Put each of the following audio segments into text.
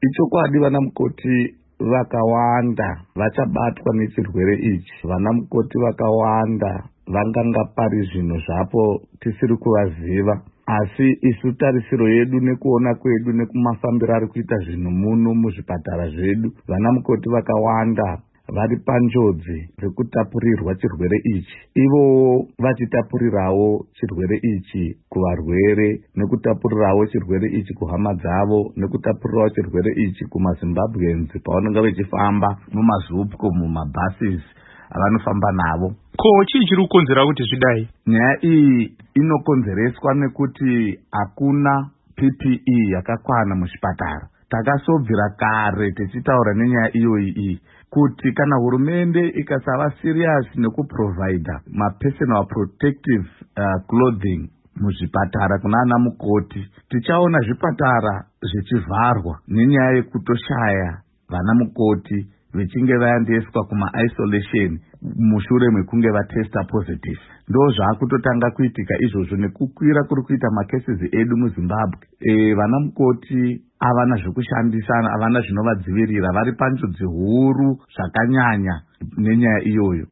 Ichokwadi, vana mukoti vakawanda vachabatwa nechirwere ichi. Vana mukoti vakawanda vanganga pari zvino zvapo tisiri kuvaziva, asi isu tarisiro yedu nekuona kwedu nekumafambiro ari kuita zvinhu muno muzvipatara zvedu, vana mukoti vakawanda vari panjodzi dzekutapurirwa chirwere ichi, ivowo vachitapurirawo chirwere ichi kuvarwere, nekutapurirawo chirwere ichi kuhama dzavo, nekutapurirawo chirwere ichi kumaZimbabweans pavanonga vechifamba mumaZUPCO, mumabhasis avanofamba navo. Ko chii chiri kukonzera kuti zvidai? Nyaya iyi inokonzereswa nekuti hakuna PPE yakakwana muzvipatara. Takasobvira kare tichitaura nenyaya iyoyi iyi kuti kana hurumende ikasava serious nekuprovhaidha mapersonal protective clothing muzvipatara kuna ana mukoti, tichaona zvipatara zvichivharwa nenyaya yekutoshaya vana mukoti vechinge vaendeswa kumaisolation mushure mekunge vatesta positive. Ndo zvaakutotanga kuitika izvozvo nekukwira kuri kuita macases edu muZimbabwe. Vana mukoti havana zvekushandisa, havana zvinovadzivirira, vari panjodzi huru zvakanyanya nenyaya iyoyo.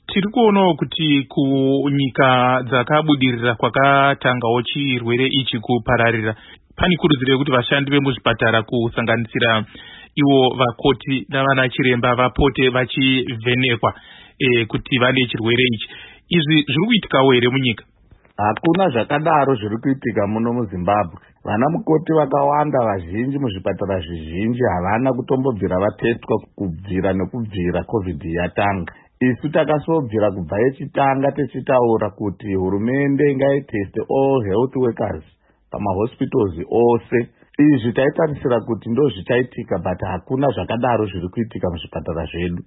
Tiri kuonawo kuti kunyika dzakabudirira kwakatangawo chirwere ichi kupararira, pane kurudziro yekuti vashandi vemuzvipatara, kusanganisira ivo vakoti navana chiremba, vapote vachivhenekwa kuti vane chirwere ichi. Izvi zviri kuitikawo here munyika? Hakuna zvakadaro zviri kuitika muno muZimbabwe. Vana mukoti vakawanda vazhinji muzvipatara zvizhinji havana kutombobvira vatestwa kubvira nekubvira COVID yatanga. Isu takasobvira kubva yechitanga tichitaura kuti hurumende ngaiteste all health workers pamahospitals ose. Izvi taitarisira kuti ndo zvichaitika, but hakuna zvakadaro zviri kuitika muzvipatara zvedu.